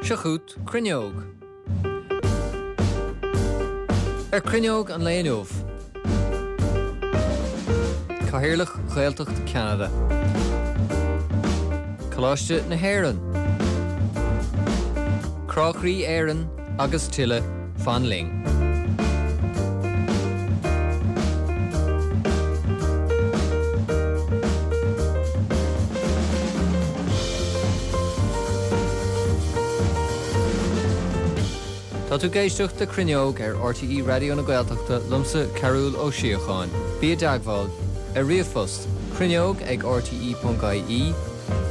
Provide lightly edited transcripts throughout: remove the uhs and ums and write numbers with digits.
Seo chugat Cruinneog. Ar Cruinneog an lae inniu, Cathaoirleach Ghaeltacht Cheanada, Coláiste na hÉireann, Crá Chroí Éireann agus tuilleadh, fan linn. Tá tú ag éisteacht le Cruinneog ar RTÉ Raidió na Gaeltachta liomsa Cearbhall Ó Síocháin. Bí i dteagmháil ar ríomhphost, cruinneog ag rte.ie,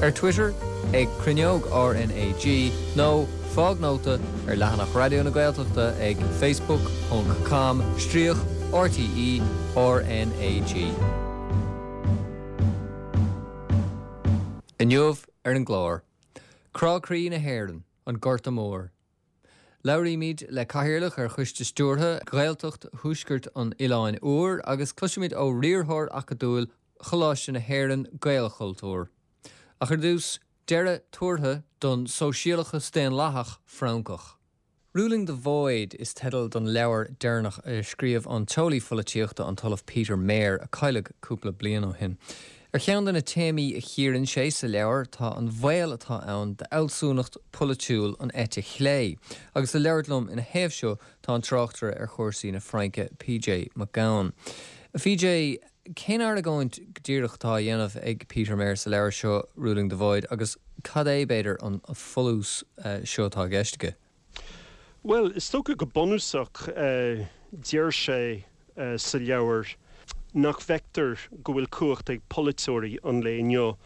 ar Twitter ag Cruinneog RnaG nó fág nóta ar leathanach Raidió na Gaeltachta ag facebook ponc com stríoc RTÉ RnaG. Inniu ar an gclár, Crá Croí na hÉireann, an Gorta Mór. Labhraímid le Cathaoirleach ar Choiste Stiúrtha Ghaeltacht Thuaisceart an Oileáin Úir agus cloisfimid ó Riarthóir Acadúil Choláiste na hÉireann Gaelchultúr. Ach ar dtús, deireadh tuartha don sóisialachas daonlathach Francach. Ruling the Void is teideal don leabhar deireanach a scríobh an t-eolaí pholaitíochta an tOllamh Peter Mair, a cailleadh cúpla bliain ó shin. Ar cheann de na téamaí a chíorann sé sa leabhar tá an baol atá ann d'fhealsúnacht pholaitiúil an eite chlé. Agus le labhairt liom ina thaobh seo tá an tráchtaire ar chúrsaí na Fraince, PJ Mac Gabhann. A PJ, cén argóint go díreach atá á dhéanamh ag Peter Mair sa leabhar seo, Ruling the Void, agus cad é, b'fhéidir, an folús seo atá i gceist aige? Bhuel, is dócha go bunúsach, deir sé sa leabhar nach bhfeictear go bhfuil cumhacht ag polaiteoirí an lae inniu.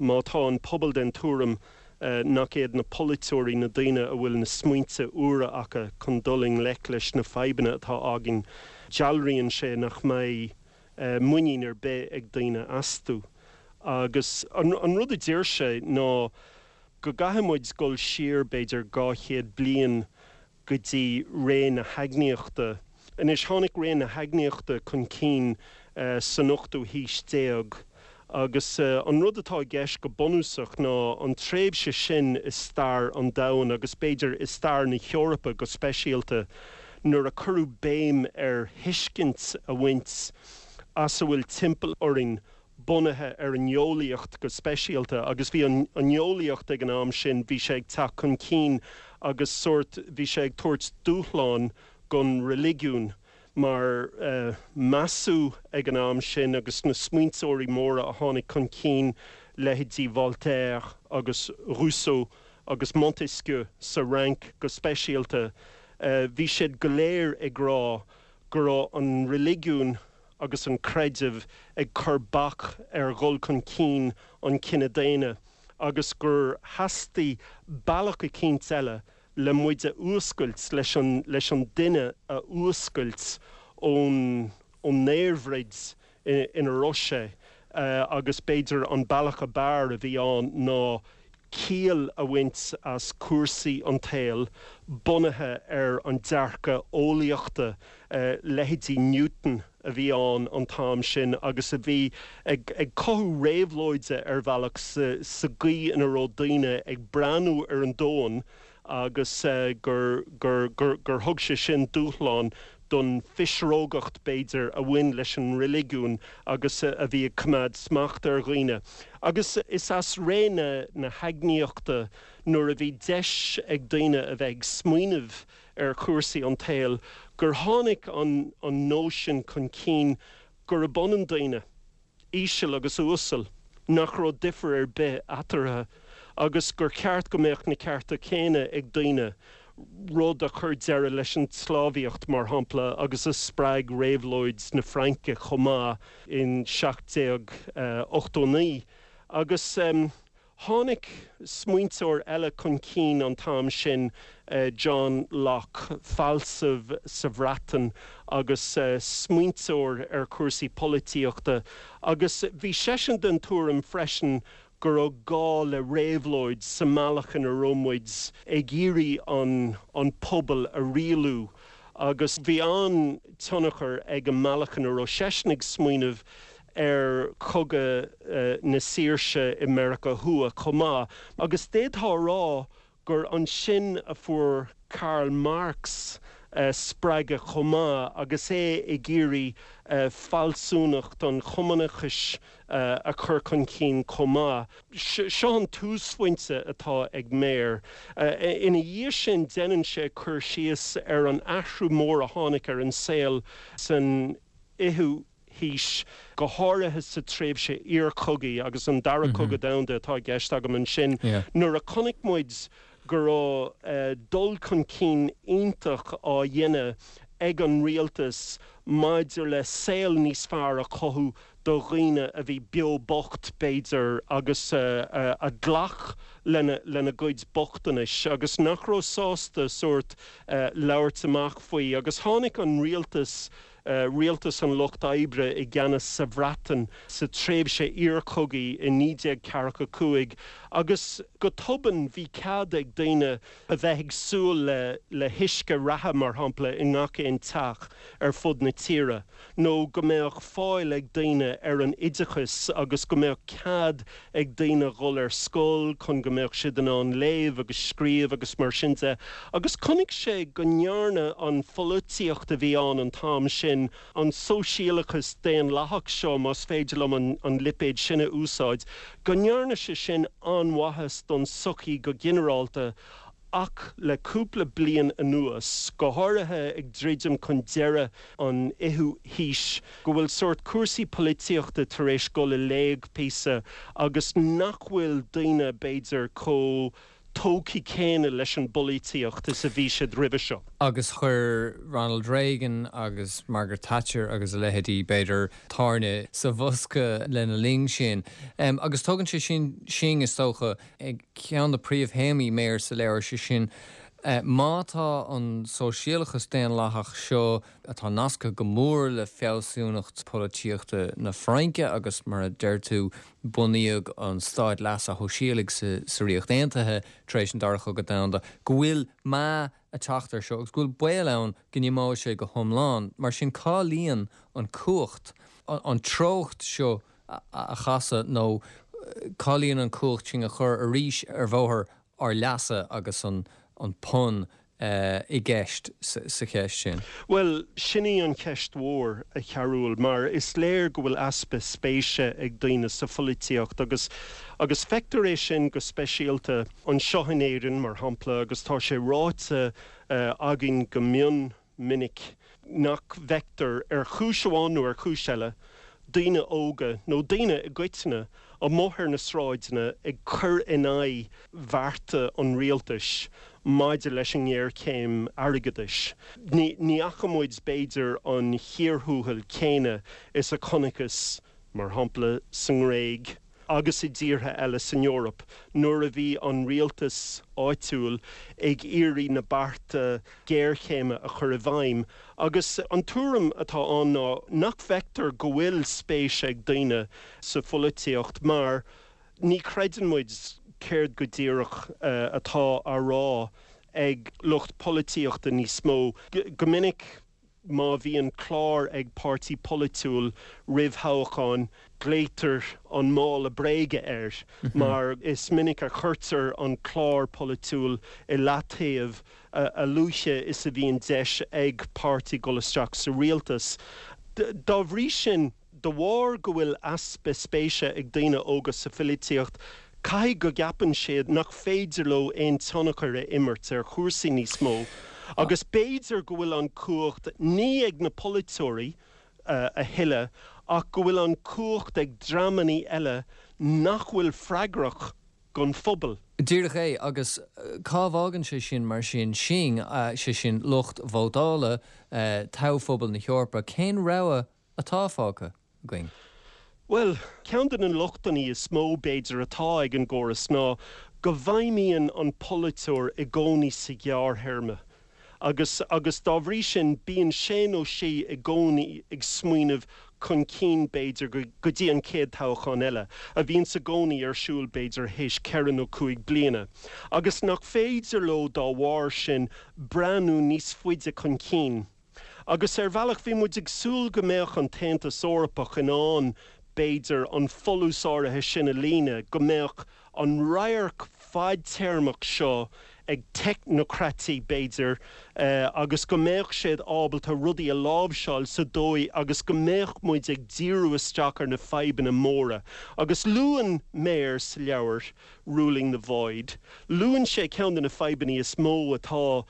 Má tá an pobal den tuairim nach iad na polaiteoirí na daoine a bhfuil na smaointe úra acu chun dul i ngleic leis na fadhbanna atá againn, dealraíonn sé nach mbeidh muinín ar bith ag daoine astu. Agus an rud a deir sé ná go gcaithfidh muid dul siar b'fhéidir 200 bliain go dtí ré na hEagnaíochta. Anois, tháinig ré na hEagnaíochta chun cinn san ochtú haois déag agus an rud atá i gceist go bunúsach ná an tréimhse sin i stair an domhain agus b'fhéidir i stair na hEorpa go speisialta nuair a cuireadh béim ar thuiscint a bhaint as a bhfuil timpeall orainn bunaithe ar an eolaíocht go speisialta agus bhí an eolaíocht ag an am sin, bhí sé ag teacht chun cinn agus sórt, bhí sé ag tabhairt dúshlán don reiligiún mar measadh ag an am sin agus na smaointeoirí móra a tháinig chun cinn, leithéidí Voltaire agus Rousseau agus Montesquieu sa Fhrainc go speisialta, bhí siad go léir ag rá go raibh an reiligiún agus an creideamh ag cur bac ar dhul chun cinn an chine daonna agus gur theastaigh bealach eicínt eile le muid a fhuascailt, leis an leis an duine a fhuascailt ón ón ndaorbhroid ina raibh sé agus b'fhéidir an bealach ab fhearr a bhí ann ná ciall a bhaint as cúrsaí an tsaoil bunaithe ar an dearcadh eolaíochta, leithéidí Newton a bhí ann an t-am sin agus a bhí ag cothú réabhlóide ar bhealach sa gcaoi ina raibh daoine ag breathnú ar an domhan agus gur thug sé sin dúshlán don phisreogacht, b'fhéidir, a bhain leis an reiligiún agus a bhí ag coimeád smachta ar dhaoine. Agus is as ré na hEagnaíochta, nuair a bhí deis ag daoine a bheith ag smaoineamh ar chúrsaí an tsaoil, gur tháinig an nóisean chun cinn gurb ionann daoine. íseal agus uasal, nach raibh difear ar bith eatarthu agus gur cheart go mbeadh na cearta céanna ag daoine, rud a chuir deireadh leis an tsclábhaíocht, mar shampla, agus a spreag Réabhlóid na Fraince chomh maith in 1789. Agus. Tháinig smaointeoir eile chun cinn an t-am sin, John Locke, fealsamh sa Bhreatain agus smaointeoir ar chúrsaí polaitíochta, agus bhí seisean den tuairim freisin go raibh gá le réabhlóid sa mbealach ina raibh muid ag iarraidh an pobal a rialú. Agus bhí an-tionchar ag an mbealach ina raibh seisean ag smaoineamh ar Chogadh na Saoirse i Meiriceá Thuaidh chomh maith, agus d'fhéadfá a rá gur ansin a fuair Karl Marx spreagadh chomh maith agus é ag iarraidh fealsúnacht an chumannachais a chur chun cinn chomh maith. Seo an túsphointe atá ag Meir. Ina dhiaidh sin déanann sé cur síos ar an athrú mór a tháinig ar an saol san fhichiú haois, go háirithe sa tréimhse iarchogaidh, agus an Dara Cogadh Domhanda atá i gceist agam ansin, nuair a chonaic muid go raibh dul chun cinn iontach á dhéanamh ag an rialtas maidir le saol níos fearr a chothú do dhaoine a bhí beo bocht, b'fhéidir, agus a ghlac lena gcuid bochtanais agus nach raibh sásta sórt labhairt amach faoi. Agus tháinig an rialtas, rialtas an Lucht Oibre i gceannas sa Bhreatain sa tréimhse iarchogaidh i 1945 agus go tobann bhí cead ag daoine a bheith ag súil le huisce reatha, mar shampla, i ngach aon teach ar fud na tíre, nó go mbeadh fáil ag daoine ar an oideachas agus go mbeadh cead ag daoine dhul ar scoil chun go mbeadh siad in ann léamh agus scríobh agus mar sin de. Agus chonaic sé go ndearna an pholaitíocht a bhí ann an t-am sin, an sóisialachas daonlathach seo, más féidir liom an lipéad sin a úsáid, go ndearna sé sin an-mhaitheas don tsochaí go ginearálta ach le cúpla bliain anuas, go háirithe ag druidim chun deireadh an fhichiú haois, go bhfuil sórt cúrsaí polaitíochta tar éis dul i léig píosa agus nach bhfuil daoine, b'fhéidir, chomh tógtha céanna leis an bpolaitíocht is a bhí siad roimhe seo. Agus chuir Ronald Reagan agus Margaret Thatcher agus a leithéidí, b'fhéidir, tairne sa bhosca lena linn sin. Agus tugann sé sin sinn, is dócha, ag ceann de príomhthéamaí Meir sa leabhar, sé sin, má tá an sóisialachas daonlathach seo, atá nasctha go mór le fealsúnacht polaitíochta na Fraince agus, mar a deir tú, bunaíodh an stát leasa shóisialaigh sa Ríocht Aontaithe tar éis an Dara Cogadh Domhanda, go bhfuil meath ag teacht air seo agus go bhfuil baol ann go n-imeoidh sé go hiomlán. Mar sin, cá luíonn an cumhacht, an treocht seo a chasadh nó cá luíonn an cumhacht sin a chur arís ar bhóthar ár leasa agus an pun i gceist sa cheist sin? Bhuel, sin í an cheist mhór, a Chearúil, mar is léir go bhfuil easpa spéise ag daoine sa pholaitíocht agus agus feictear é sin go speisialta anseo in Éirinn, mar shampla, agus tá sé ráite againn go mion minic nach bhfeictear, ar chúis amháin nó ar chúis eile, daoine óga, nó daoine i gcoitinne, amuigh ar na sráideanna ag cur in aghaidh bhearta an rialtais maidir leis an ngéarchéim airgeadais. Ní fhaca muid, b'fhéidir, an chíor thuathail céanna is a chonacthas, mar shampla, sa nGréig, agus i dtíortha eile san Eoraip nuair a bhí an rialtas áitiúil ag iarraidh na bearta géarchéime a chur i bhfeidhm. Agus an tuairim atá ann ná nach bhfeictear go bhfuil spéis ag daoine sa pholaitíocht mar ní chreideann muid céard go díreach atá á rá ag lucht polaitíochta níos mó. Go minic. Má bhíonn clár ag páirtí polaitiúil roimh thoghchán, glaoitear an mála bréige air mar is minic a chuirtear an clár polaitiúil i leataobh a luaithe is a bhíonn deis ag páirtí dul isteach sa rialtas. Dá bhrí sin, De bharr go bhfuil easpa spéise ag daoine óga sa pholaitíocht, caithfidh go gceapann siad nach féidir leo aon tionchar a imirt ar chúrsaí níos mó agus b'fhéidir go bhfuil an cumhacht ní ag na polaiteoirí a thuilleadh ach go bhfuil an cumhacht ag dreamanna eile nach bhfuil freagrach don phobal. Díreach é, agus cá bhfágann sé sin mar sin sinn, sé sin lucht vótála, toghphobal na hEorpa, cén rogha atá fágtha againn? Bhuel, ceann de na lochtanna is mó, b'fhéidir, atá ag an gcóras ná go bhfeidhmíonn an polaiteoir i gcónaí sa ghearrthéarma agus agus dá bhrí sin bíonn sé nó sí i gcónaí ag smaoineamh chun cinn, b'fhéidir, go dtí an chéad toghchán eile, a bhíonns i gcónaí ar siúl, b'fhéidir, théis ceithre nó cúig bliana, agus nach féidir leo dá bharr sin breathnú níos faide chun cinn. Agus ar bhealach bhí muid ag súil go mbeadh an tAontas Eorpach in ann, b'fhéidir, an folús áirithe sin a líonadh, go mbeadh an radharc fadtéarmach seo ag teicneocraití, b'fhéidir, agus go mbeadh siad ábalta rudaí a láimhseáil sa dóigh agus go mbeadh muid ag díriú isteach ar na fadhbanna móra. Agus luann Mayer sa leabhar, Ruling the Void, luann sé ceann de na fadhbanna is mó atá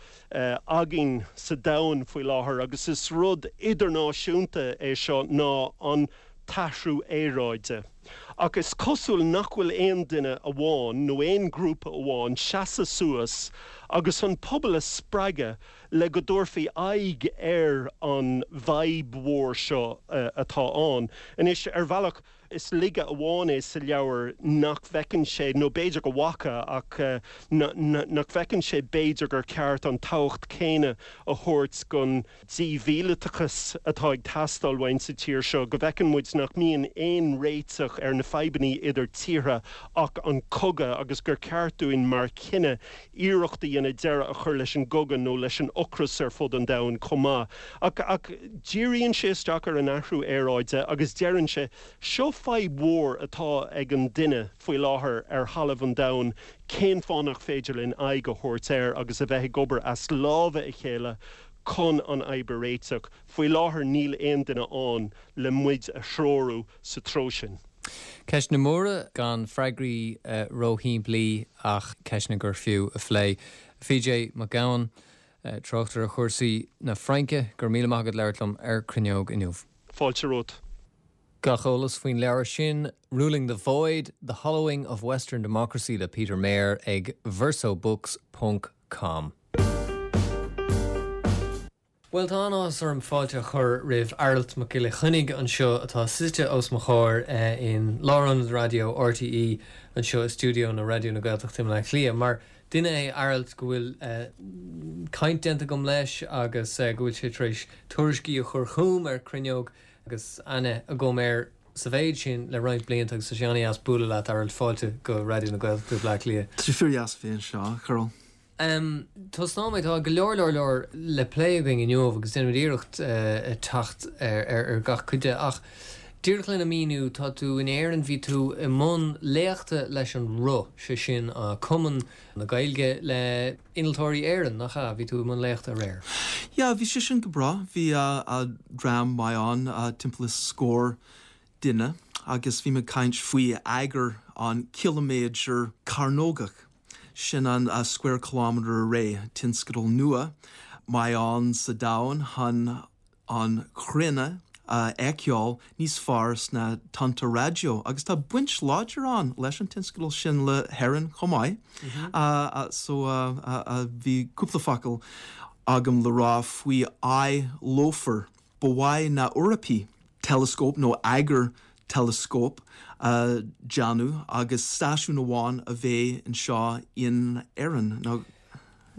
againn sa domhan faoi láthair agus is rud idirnáisiúnta é seo ná an t-athrú aeráide. Ach is cosúil nach bhfuil aon duine amháin nó aon ghrúpa amháin seasamh suas agus an pobal a spreagadh le go dtabharfaí aghaidh ar an bhfadhb mhór seo atá ann. Anois, ar bhealach, Is laige amháin é sa leabhar nach bhfeiceann sé, nó b'fhéidir go bhfaca, ach nach bhfeiceann sé b'fhéidir gur ceart an tábhacht céanna a thabhairt don dímhíleatachas atá ag teastáil uainn sa tír seo, go bhfeiceann muid nach mbíonn aon réiteach ar na fadhbanna idir tíortha ach an cogadh agus gur ceart dúinn mar chine iarracht a dhéanamh deireadh a chur leis an gcogadh nó leis an ocras ar fud an domhain chomh maith. Ach, ach díríonn sé isteach ar an athrú aeráide agus deireann sé, seo fadhb mhór atá ag an duine faoi láthair ar thalamh an domhain, cén fáth nach féidir linn aghaidh a thabhairt air agus a bheith ag obair as lámha a chéile chun an fhadhb a réiteach? Faoi láthair níl aon duine ann le muid a threorú sa treo sin. Ceisteanna móra, gan freagraí róshimplí ach ceisteanna gur fiú a phlé. PJ Mac Gabhann, tráchtaire ar chúrsaí na Fraince, go raibh míle maith agat labhairt liom ar Cruinneog inniu. Fáilte romhat. Gach eolas faoin leabhar sin, Ruling the Void, The Hollowing of Western Democracy le Peter Mayer ag versobooks ponc com. Bhuel, tá an-áthas orm fáilte a chur roimh Aralt Mac Giolla Chainnigh anseo, atá suite os mo chomhair in Lárionad Raidió RTÉ anseo i stiúideo na Raidió na Gaeltachta i mBleá Cliath. Mar duine é Aralt go bhfuil caint déanta agam leis agus go bhfuil sé tar éis tuairiscí a chur chugam ar Cruinneog agus aithne agam air sa mhéid sin le roinnt blianta agus tá sé an-dheas bualadh leat, Aralt. Fáilte go Raidió na Gaeltachta i Bleá Cliath. Tá sé fíor-dheas a bheith anseo, a Chorraill. Tosnóidh mé, tá go leor leor leor le plé againn inniu agus déanfaimid iarracht teacht ar gach cuid de ach díreach lena míniú, tá tú in Éirinn, bhí tú i mbun léachta leis an Roth, sé sin Cumann na Gaeilge le Innealtóirí Éireann, nach ea? Bhí tú i mbun léachta aréir. Yeah, bhí sé sin go breá. Bhí dream maith ann, timpeall is scór duine agus bhí mé ag caint faoi eagar an ciliméadar cearnógach. Sin an Square Kilometre Array, tionscadal nua maith ann sa domhan chun an chruinne a fheiceáil níos fearr sna tonnta raidió agus tá baint láidir ann leis an tionscadal sin le hÉirinn chomh maith. So bhí cúpla focal agam le rá faoi fháidh lofar. Ba mhaith na Eorpaigh teileascóp nó eagar teileascóip a dhéanamh agus stáisiún amháin a bheith anseo in Éirinn nó.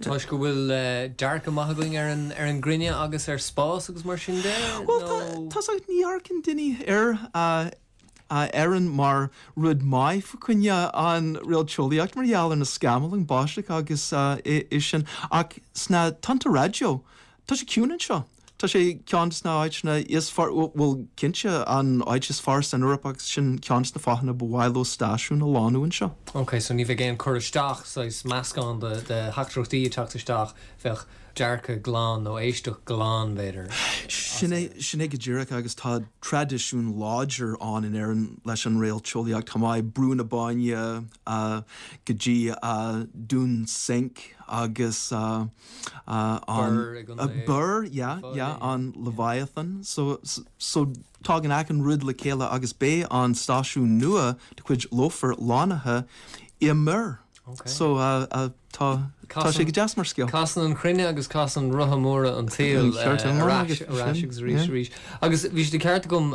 Toisc go bhfuil dearcadh maith againn ar an ar an gcruinne agus ar spás agus mar sin de, Bhuel, nó? tá, tá's agat, ní amharcann daoine ar Éirinn mar rud maith fá choinne an réalteolaíocht mar gheall ar na scamaill, an báisteach agus é sin ach sna tonnta raidió, tá sé ciúin anseo. Tá sé ceann de na áiteanna is fearr, bhuel, cinnte, an áit is fearr san Eoraip agus sin ceann de na fáthanna ba mhaith leo stáisiún a lonnú anseo. Ok, so ní bheidh aon cur isteach, saghas meascán de theachtaireachtaí ag teacht isteach, bheadh dearcadh glan nó éisteacht glan, b'fhéidir, as Sin é, sin é go díreach agus tá traidisiún láidir ann in Éirinn leis an réalteolaíocht chomh maith, Brú na Bóinne go dtí Dún Sinche agus. an Birr, yeah, yeah, an Leviathan. So, so tagann achan rud le chéile agus beidh an stáisiún nua de chuid Lofar lonnaithe i mBirr. So, tá, tá sé go deas mar scéal. Casann an chruinne agus casann rotha móra an tsaoil ar ais, ar ais agus arís, arís. Agus bhí sé de cheart agam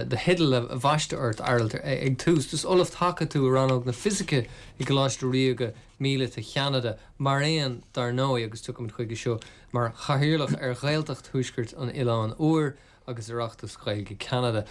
do theideal a bhaisteadh ort, Aralt, ag tús. Is Ollamh Taca tú i rannóg na Fisice i gColáiste Ríoga Míleata Cheanada. Mar aon, dar ndóigh, agus tiocfaimid chuige seo, mar Chathaoirleach ar Ghaeltacht Thuaisceart an Oileáin Úir agus Oireachtas Gaeilge Cheanada.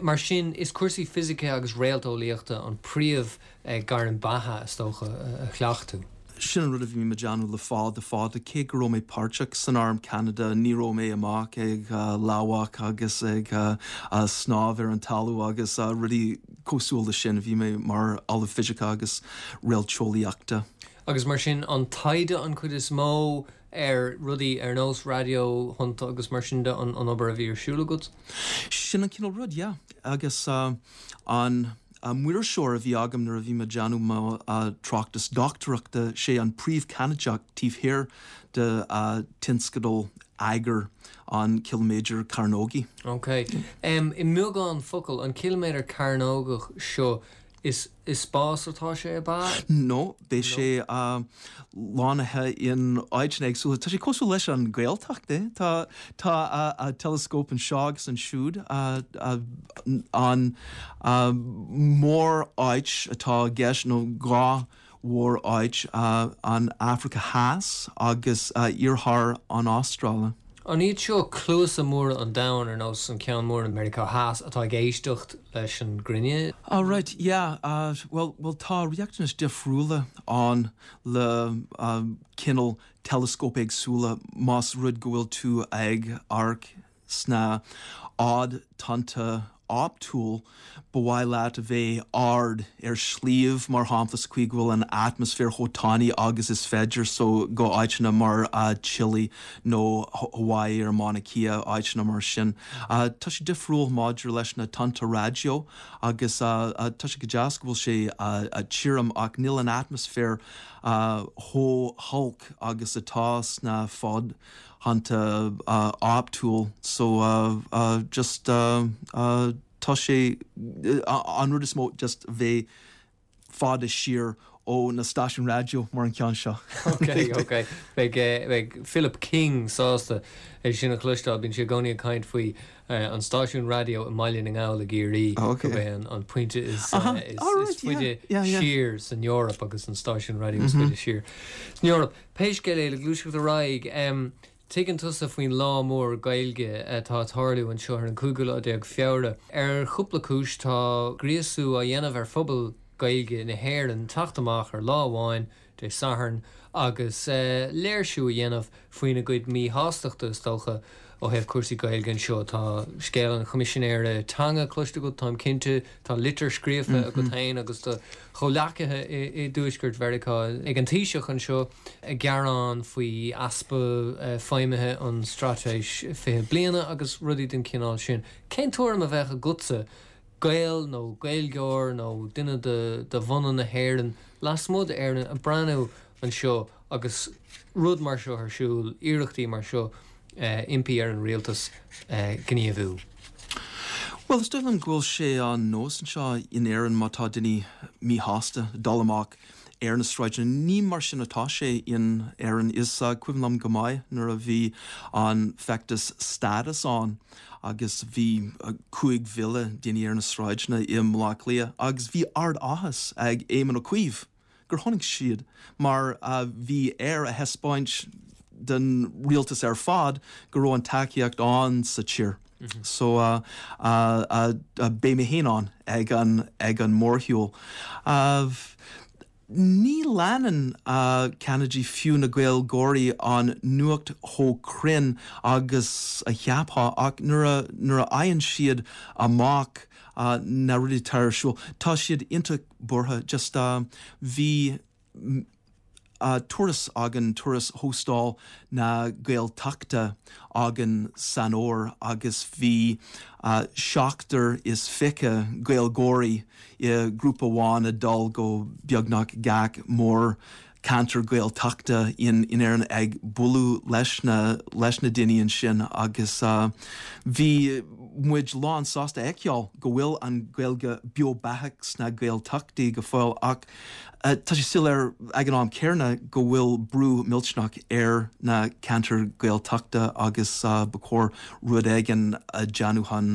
Mar sin, is cúrsaí fisice agus réalteolaíochta an príomh gairm beatha, is dócha, a chleacht tú. Sin an rud a bhí mé ag déanamh le fada fada, cé go raibh mé páirteach san Arm Ceanada, ní raibh mé amach ag lamhach agus ag snámh ar an talamh agus rudaí cosúil le sin, bhí mé mar ollamh fisice agus réalteolaíochta. Agus mar sin, an taighde an chuid is mó ar rudaí ar nós raidió-thonnta agus mar sin de an obair a bhí ar siúl agat? Sin an cineál rud, yeah. Agus an maoirseoir a bhí agam nuair a bhí mé ag déanamh mo tráchtas dochtúireachta, sé an príomh-Cheanadach taobh thiar de tionscadal eagair an chiliméadair chearnógaigh. Ok. I mbeagán focal, an ciliméadar cearnógach seo, Is i spás atá sé, ab ea? No, beidh sé lonnaithe in áiteanna éagsúla. Tá sé cosúil leis an Ghaeltacht, eh? Tá tá teileascóp anseo agus ansiúd. An mór-áit atá i gceist, nó dhá mhór-áit, an Afraice Theas agus iarthar an Astráile. An iad seo cluasa móra an domhain, ar nós an ceann mór i Meiriceá Theas, atá ag éisteacht leis an gcruinne? Oh right, yeah, bhuel, bhuel tá riachtanais difriúla ann le cineál teileascóip éagsúla más rud go bhfuil tú ag amharc Sna fhadtonnta optúil, ba mhaith leat a bheith ard ar shliabh, mar shampla, sa chaoi go bhfuil an atmaisféar chomh tanaí agus is féidir, so go áiteanna mar Chile nó Hawaii ar Mauna Kea, áiteanna mar sin. Tá sé difriúil maidir leis na tonnta raidió agus tá sé go deas go bhfuil sé tirim ach níl an atmaisféar chomh holc agus atá sna fad thonnta optúil so just tá sé an rud is mó just bheith fada siar ó na stáisiúin raidió mar an ceann seo. Ok, ok. Beidh beidh Philip King sásta é sin a chloisteáil. Bíonn sé i gcónaí ag caint faoi an stáisiún raidió i mBaile na nGall i gCiarraí gurb é an pointe is faide siar san Eoraip agus an stáisiún raidió is faide siar san Eoraip. Pé scéal é, le gluaiseacht ar aghaidh, tuigeann tusa faoin lá mór Gaeilge atá ag tarlú anseo ar an cúigiú lá déag Feabhra. Ar chúpla cúis, tá gríosú á dhéanamh ar phobal Gaeilge na hÉireann teacht amach ar lá amháin, Dé Sathairn, agus léirsiú a dhéanamh faoina gcuid míshástachta, is dócha, ó thaobh cúrsaí Gaeilge anseo. Tá scéal an Choimisinéara Teanga cloiste agat, táim cinnte. Tá litir scríofa agat féin agus do chomhleacaithe i dTuaisceart Mheiriceá ag an Taoiseach anseo ag gearán faoi easpa feidhmithe an Straitéis 20 Bliana agus rudaí den chineál sin. Cén tuairim a bheadh agatsa, Gael nó Gaeilgeoir nó duine de bhunadh na hÉireann lasmuigh d'Éirinn ag breathnú anseo agus rud mar seo ar siúl, iarrachtaí mar seo impí ar an rialtas gníomhú? Bhuel, is dóigh liom go bhfuil sé an nós anseo in Éirinn má tá duine míshásta dul amach ar na sráideanna. Ní mar sin atá sé in Éirinn. Is cuimhin liom go maith nuair a bhí an feachtas Stádas ann agus bhí 5,000 duine ar na sráideanna i mBaile Átha Cliath agus bhí ard-áthas ag Éamon Ó Cuív gur tháinig siad mar bhí air a thaispeáint don rialtas ar fad go raibh an tacaíocht ann sa tír. So beidh mé féin ann ag an ag an mórshiúl. Ní leanann Ceanadaigh fiú na Gaeilgeoirí an nuacht chomh cruinn agus a cheapfá ach nuair a nuair a fhaigheann siad amach na rudaí atá ar siúl tá siad iontach buartha. Just bhí turas againn, turas Thóstal na Gaeltachta againn san fhómhar agus bhí 27 Gaeilgeoirí i grúpa amháin ag dul go beagnach gach mór ceantar Gaeltachta in Éirinn ag bualadh leis na leis na daoine ansin agus bhí muid lán sásta a fheiceáil go bhfuil an Ghaeilge beo beathach sna Gaeltachtaí go fóill ach tá sé soiléir ag an am céanna go bhfuil brú millteanach ar na ceantair Ghaeltachta agus ba chóir rud éigin a dhéanamh chun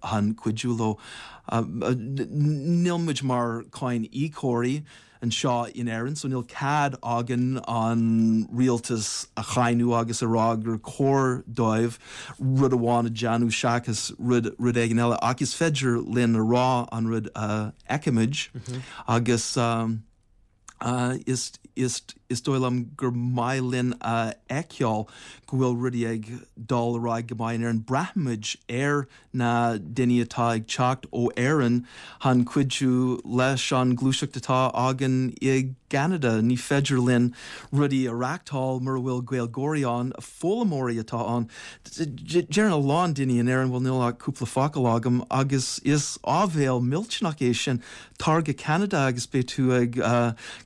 chun cuidiú leo. Níl muid mar cáin íocóirí anseo in Éirinn so níl cead againn an rialtas a cháineadh agus a rá gur chóir dóibh rud amháin a dhéanamh seachas rud rud éigin eile ach is féidir linn a rá an rud a fheicimid agus. Is is dóigh liom gur maith linn a fheiceáil go bhfuil rudaí ag dul ar aghaidh go maith in Éirinn. Braithimid ar na daoine atá ag teacht ó Éirinn chun cuidiú leis an gluaiseacht atá againn i gCeanada. Ní féidir linn rudaí a reáchtáil mura bhfuil Gaeilgeoirí ann, foghlaimeoirí atá ann. Deireann a lán daoine in Éirinn bhuel níl ach cúpla focal agam agus is áibhéil millteanach é sin. Tar go Ceanada agus beidh tú ag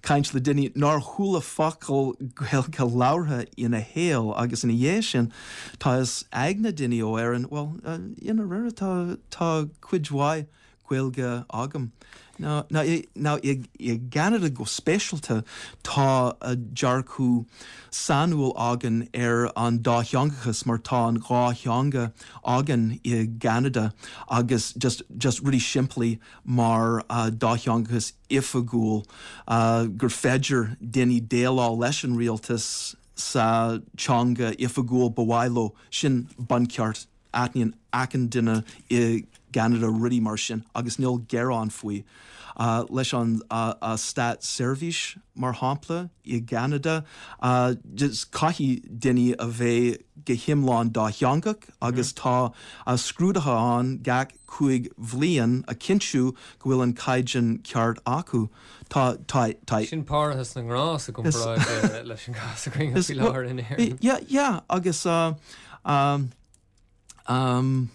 caint le duine nár chuala focal Gaeilge labhartha ina shaol agus ina dhiaidh sin tá fhios ag na daoine ó Éirinn, bhuel, i ndáiríre tá, tá cuid mhaith Gaeilge agam. Now, now i gCeanada go speisialta tá dearcadh sainiúil againn ar an dátheangachas mar tá an dhá theanga againn i gCeanada agus just, just rudaí simplí mar dátheangachas oifigiúil, gur féidir daoine déileáil leis an rialtas sa teanga oifigiúil ba mhaith leo. Sin buncheart. Aithníonn achan duine i gCeanada rudaí mar sin agus níl gearán faoi. Leis an státseirbhís, mar shampla, i gCeanada, caithfidh daoine a bheith go hiomlán dátheangach agus tá scrúduithe ann gach 5 bhliain a chinntiú go bhfuil an caighdeán ceart acu. Tá, tá, tá. Sin parthas na ngrás i gcomparáid leis an gcás againn faoi láthair in Éirinn. Yeah, yeah, agus um, um,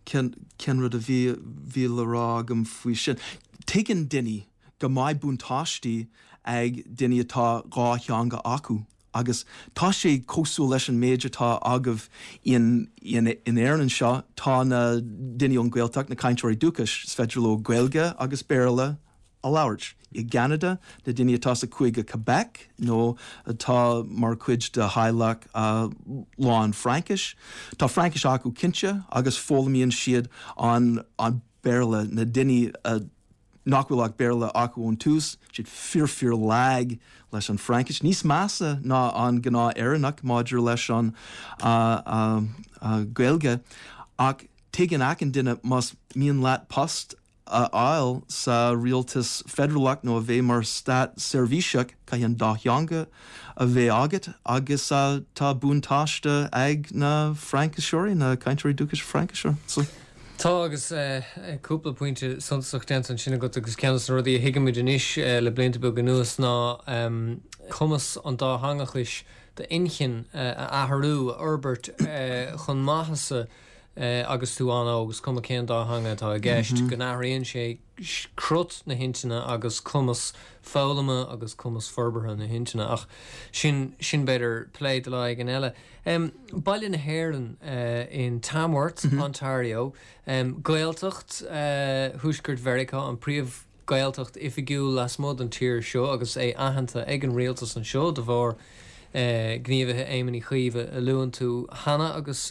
cén, cén rud a bhí, bhí le rá agam faoi sin? Tuigeann daoine go mbeidh buntáistí ag daoine atá dhá theanga acu. Agus tá sé cosúil leis an méid atá agaibh in Éirinn anseo, tá na daoine ón Ghaeltacht, na cainteoirí dúchais, is féidir leo Gaeilge agus Béarla a labhairt. I gCeanada, na daoine atá sa Chúige Quebec nó atá mar chuid de theaghlach lán Fraincis, tá Fraincis acu cinnte agus foghlaimíonn siad an Béarla, na daoine a. nach bhfuil ach Béarla acu ón tús, siad fíor fíor lag leis an Fraincis, níos measa ná an gnáth Éireannach maidir leis an Gaeilge, ach tuigeann achan duine más mian leat post a fháil sa rialtas feidearálach nó a bheith mar státseirbhíseach, caithfidh an dá theanga a bheith agat agus tá buntáiste ag na Frainciseoirí, na cainteoirí dúchais Fraincise. So. Tá, agus cúpla pointe suntasach déanta ansin agat agus ceann de na rudaí a thuigimid anois le blianta beaga anuas ná cumas an dátheangachais d'inchinn a athrú, a fhorbairt chun maitheasa agus tú an-óg, is cuma cén dá theanga atá i gceist, go n-athraíonn sé crut na hintinne agus cumas foghlama agus cumas forbartha na hintinne. Ach sin, sin b'fhéidir plé do lá éigin eile. Baile na hÉireann in Tamworth, Ontario, Gaeltacht Thuaisceart Mheiriceá, an príomh-Ghaeltacht oifigiúil lasmuigh den tír seo agus é aitheanta ag an rialtas anseo de bharr gníomhaithe Éamoin Uí Chuív a luann tú cheana agus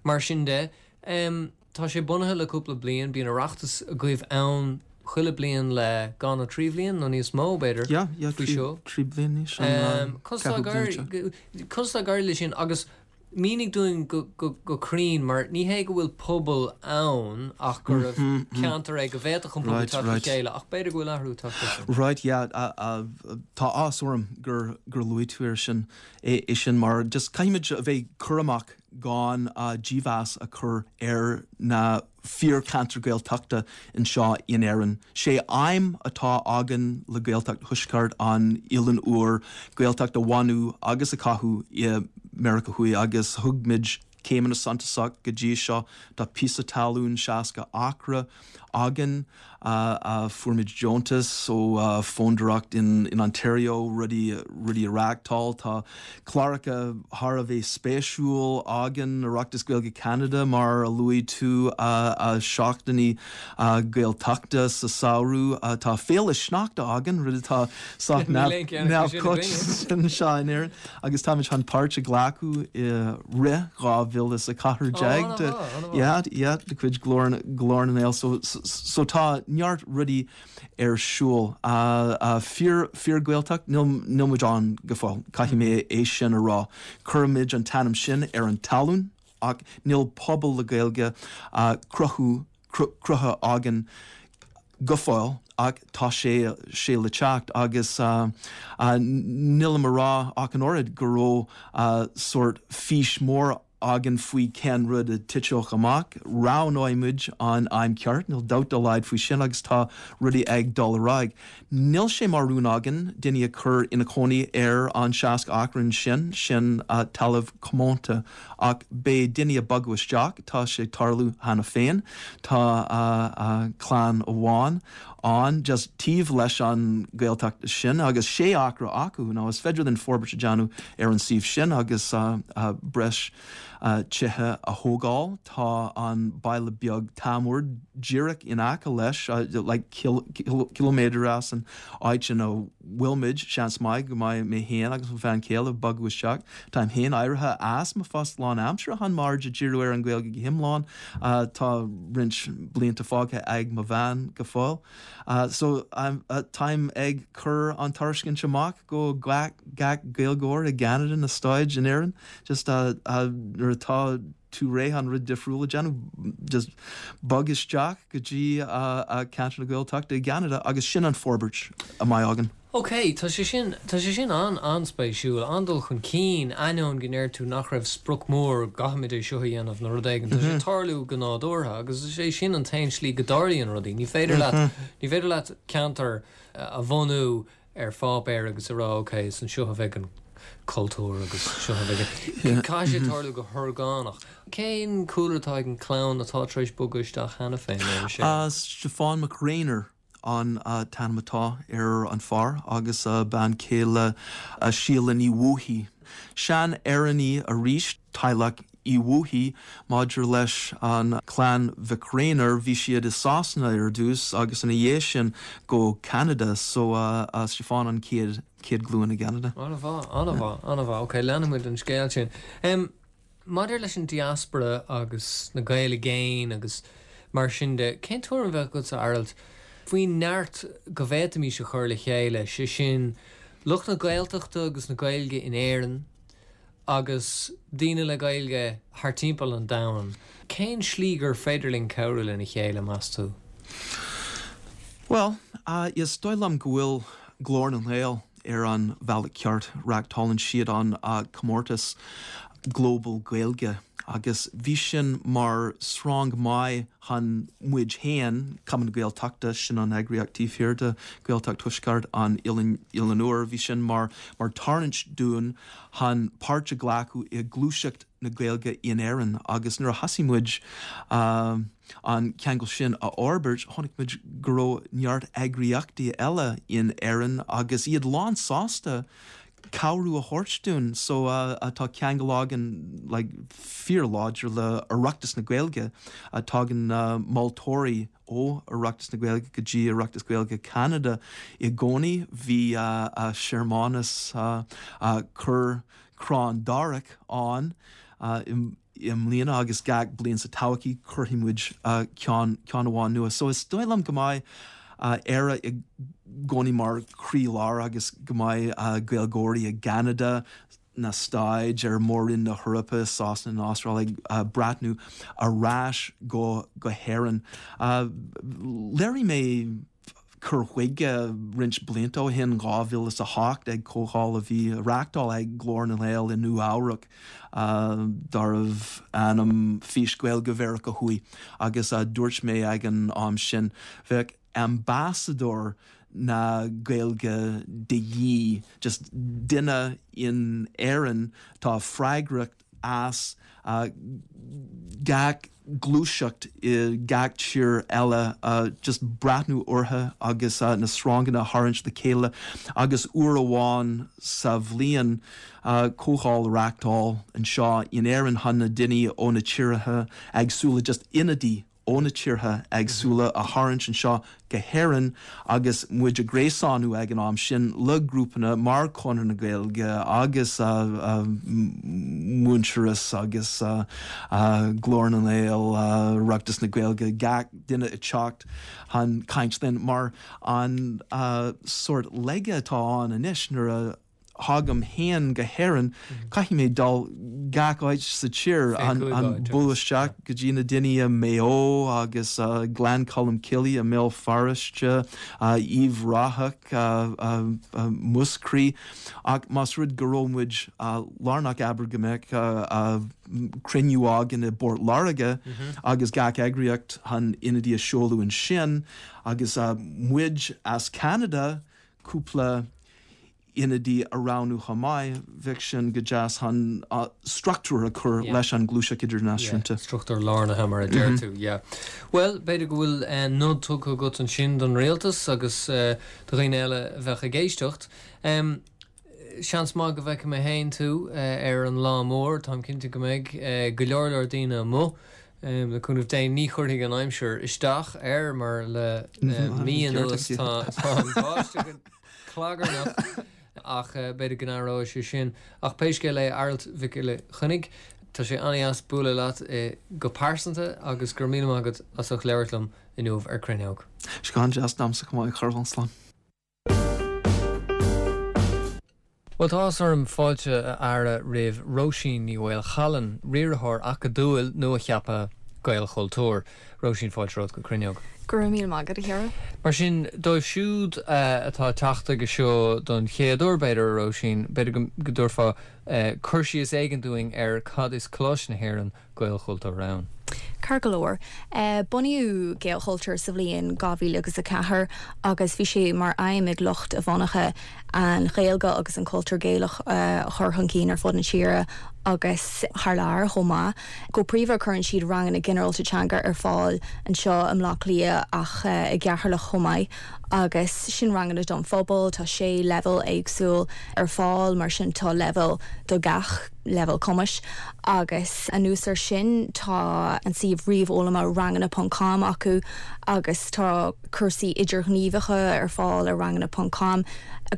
mar sin de. Tá sé bunaithe le cúpla bliain, bíonn Oireachtas agaibh ann chuile bliain le dhá nó trí bhliain, nó níos mó b'fhéidir, Yeah, yeah, faoi seo. trí bliain anois, an Conas tá ceathrú bliain seo. Conas tá ag éirí leis sin agus mínigh dúinn go go cruinn mar ní hé go bhfuil pobal ann ach gurbh ceantar é go bhféadfadh an pobal teacht le chéile ach b'fhéidir go bhfuil athrú tagtha air sin. Right, yeah, tá áthas orm gur gur luaigh tú air sin, é sin mar just caithfimid a bheith cúramach gan dímheas a chur ar na fíorcheantair Gaeltachta anseo in Éirinn. Sé aidhm atá againn le Gaeltacht Thuaisceart an Oileáin Úir Gaeltacht a bhunú agus a chothú i Meiriceá Thuaidh agus thug muid céimeanna suntasach go dtí seo. Tá píosa talún 60 acra againn. Fuair muid deontas ó fondúireacht in Ontario rudaí rudaí a reáchtáil. Tá cláracha thar a bheith spéisiúil againn, Oireachtas Gaeilge Cheanada mar a luaigh tú, seachtainí Gaeltachta sa samhradh. Tá Féile Sneachta againn, rud atá sách neamhchoitianta anseo in Éirinn agus táimid chun páirt a ghlacadh i Rith 2014 de yeah yeah de chuid Glór Glór na nGael so so tá neart rudaí ar siúl. Fíor fíor Gaeltacht níl níl muid ann go fóill caithfidh mé é sin a rá. Cuirimid an t-ainm sin ar an talún ach níl pobal le Gaeilge cruthú cruthaithe againn. go fóill ach tá sé sé le teacht agus nílim a rá ach an oiread go raibh sórt fís mór againn faoi cén rud a titfeadh amach. Roghnóidh muid an am ceart, níl dabht dá laghad faoi sin agus tá rudaí ag dul ar aghaidh. Níl sé mar rún againn daoine a chur ina cónaí ar an 60 acra ansin, sin talamh comónta. Ach beidh daoine ag bogadh isteach, tá sé ag tarlú cheana féin. Tá clann amháin ann just taobh leis an Ghaeltacht sin agus sé acra acu. Now is féidir linn forbairt a dhéanamh ar an suíomh sin agus breis tithe a thógáil. Tá an baile beag Teamhair díreach in aice leis, like ciliméadar as an áit ina bhfuil muid. Seans maith go mbeidh mé féin agus mo bhean chéile ag bogadh isteach. Táim féin éirithe as mo phost lánaimseartha chun m'aird a dhíriú ar an Ghaeilge go hiomlán. Tá roinnt blianta fágtha ag mo bhean go fóill. So, táim ag cur an tairiscint amach go gach Gaeilgeoir i gCeanada, na Stáit, in Éirinn, just nuair atá tú réidh chun rud difriúil a dhéanamh, just bog isteach go dtí ceantar na Gaeltachta i gCeanada agus sin an forbairt a mbeidh againn. Ok, tá sé sin, tá sé sin an-an-spéisiúil, an-dul chun cinn, ainneoin go ndeir tú nach raibh sprioc mór, caithfimid é seo a dhéanamh nó rud éigin, tá sé ag tarlú go nádúrtha agus is é sin an t-aon slí go dtarlaíonn rudaí. Ní féidir leat, ní féidir leat ceantar a bhunú ar pháipéar agus a rá ok, is anseo a bheidh an cultúr agus seo a bheidh an, caithfidh sé tarlú go horgánach. Cén cúlra atá ag an chlann atá tar éis bogadh isteach cheana féin, ar an sé? Stiofán Mac Réanáir. an t-ainm atá ar an fear agus a bean chéile Síle Ní Bhuathaigh. Sean-Éireannaigh arís, teaghlach Uí Bhuathaigh. Maidir leis an clann Mhic Réanáir, bhí siad i Sasana ar dtús agus ina dhiaidh sin go Ceanada, so Stiofán an chéad chéad ghlúin i gCeanada. An-mhaith, an-mhaith, an-mhaith. Ok, leanfaimid an scéal sin. Maidir leis an diaspora agus na Gaeil i gcéin agus mar sin de, cén tuairim a bheadh agatsa, Aralt, faoin neart go bhféadfaimis a chur le chéile, sé sin, lucht na Gaeltachta agus na Gaeilge in Éirinn agus daoine le Gaeilge thar timpeall an domhain? Cén slí gur féidir linn cabhrú lena chéile, meas tú? Bhuel, is dóigh liom go bhfuil Glór na nGael ar an bhealach ceart. Reáchtálann siad an comórtas Global Gaeilge agus bhí sin mar srong maith chun muid féin, Cumann na Gaeltachta, sin an eagraíocht taobh thiar de Ghaeltacht Thuaisceart an Oileáin Úir, bhí sin mar mar tarraingt dúinn chun páirt a ghlacadh i gluaiseacht na Gaeilge in Éirinn agus nuair a thosaigh muid an ceangal sin a fhorbairt, chonaic muid go raibh neart eagraíochtaí eile in Éirinn agus iad lán sásta cabhrú a thabhairt dúinn. So tá ceangal againn like fíorláidir le Oireachtas na Gaeilge. Tagann moltóirí ó Oireachtas na Gaeilge go dtí Oireachtas Gaeilge Cheanada i gcónaí. Bhí searmanas cur crann darach ann i mbliana agus gach bliain sa todhchaí cuirfidh muid ceann amháin nua. So is dóigh liom go mbeidh Éire i gcónaí mar chroílár agus go mbeidh Gaeilgeoirí i gCeanada, na Stáit, ar Mhór-Roinn na hEorpa, Sasana, an Astráil ag breathnú ar ais go hÉirinn. Léirigh mé cur chuige roinnt blianta ó shin, 2008, ag comhdháil a bhí á reáchtáil ag Glór na nGael i Nua Eabhrac darbh ainm Fís Gaeilge Mheiriceá Thuaidh agus dúirt mé ag an am sin, bheadh ambasadóir na Gaeilge de dhíth, just duine in Éirinn atá freagrach as gach gluaiseacht i gach tír eile, just breathnú orthu agus na sronganna a tharraingt le chéile agus uair amháin sa bhliain comhdháil a reáchtáil anseo in Éirinn chun na daoine ó na tíortha éagsúla, just ionadaí ó na tíortha éagsúla a tharraingt anseo go hÉirinn agus muid ag gréasánú ag an am sin le grúpanna mar Conradh na Gaeilge agus Muintearas agus Glór na nGael, Oireachtas na Gaeilge, gach duine ag teacht chun caint linn mar an sórt laige atá ann anois nuair a. thagaim féin go hÉirinn, caithfidh mé dul gach áit sa tír, an bualadh isteach go dtí na daoine i Maigh Eo agus Gleann Cholm Cille i mBéal Feirste, Uíbh Ráthach, Múscraí. Ach más rud go raibh muid lárnach, abair go mbeadh cruinniú againn i bPort Láirge agus gach eagraíocht chun ionadaí a seoladh ansin agus muid as Ceanada, cúpla ionadaí a roghnú chomh maith, bheadh sin go deas chun struchtúr a chur leis an ghluaiseacht idirnáisiúnta. Yeah, struchtúr lárnaithe mar a deir tú, yeah. Bhuel, b'fhéidir go bhfuil nod tugtha agat ansin don rialtas agus do dhaoine eile a bheadh ag éisteacht. Seans maith go bhfeicfidh mé féin tú ar an lá mór, táim cinnte go mbeidh go leor leor daoine amuigh. Le cúnamh Dé ní chuirfidh an aimsir isteach air mar le mí anuas tá an bháisteach clagarnach ach b'fhéidir go n-athróidh sé sin. Ach pé scéal é, a Arailt Mhic Giolla Chainnigh, tá sé an-dheas bualadh leat go pearsanta agus go raibh míle maith agat as ucht labhairt liom inniu ar Cruinneog. Sé go han-deas domsa chomh maith, a Charbhán. Slán. Bhuel, tá áthas orm fáilte a fhearadh roimh Róisín Ní Mhaolchallann, riarthóir acadúil nua-cheaptha Gaelchultúr. Róisín, fáilte romhat go Cruinneog. Go raibh míle maith agat, a Chiara. Mar sin, dóibh siúd atá ag teacht chuige seo don chéad uair, b'fhéidir, a Róisín, b'fhéidir go dtabharfá cur síos éigin dúinn ar cad is Coláiste na hÉireann Gaelchultúr ann. Ceart go leor. Bunaíodh Gaelchultúr sa bhliain 2000 agus 4 agus bhí sé mar aidhm ag lucht a bhunaithe an Ghaeilge agus an cultúr Gaelach a chur chun cinn ar fud na tíre agus thar lear chomh maith. Go príomha cuireann siad ranganna ginearálta teanga ar fáil anseo i mBleá Cliath ach i gCeatharlach chomh maith agus sin ranganna don phobal. Tá sé leibhéal éagsúil ar fáil mar sin tá leibhéal do gach leibhéal cumais agus anuas air sin tá an suíomh ríomhfhoghlama ranganna ponc com acu agus tá cúrsaí idirghníomhacha ar fáil ar ranganna ponc com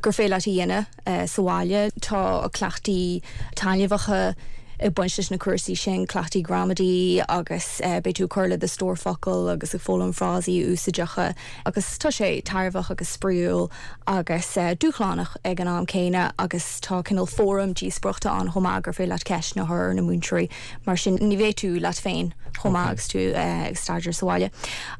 gur féidir leat a dhéanamh sa bhaile. Tá cleachtaí taitneamhacha ag baint leis na cúrsaí sin, cleachtaí gramadaí agus beidh tú ag cur le do stór focal agus ag foghlaim frásaí úsáideacha agus tá sé tairbheach agus spraíúil agus dúshlánach ag an am céanna agus tá cineál fóram díospóireachta ann chomh maith gur féidir leat ceisteanna a chur ar na múinteoirí mar sin ní bheidh tú leat féin chomh maith agus tú ag staidéar sa bhaile.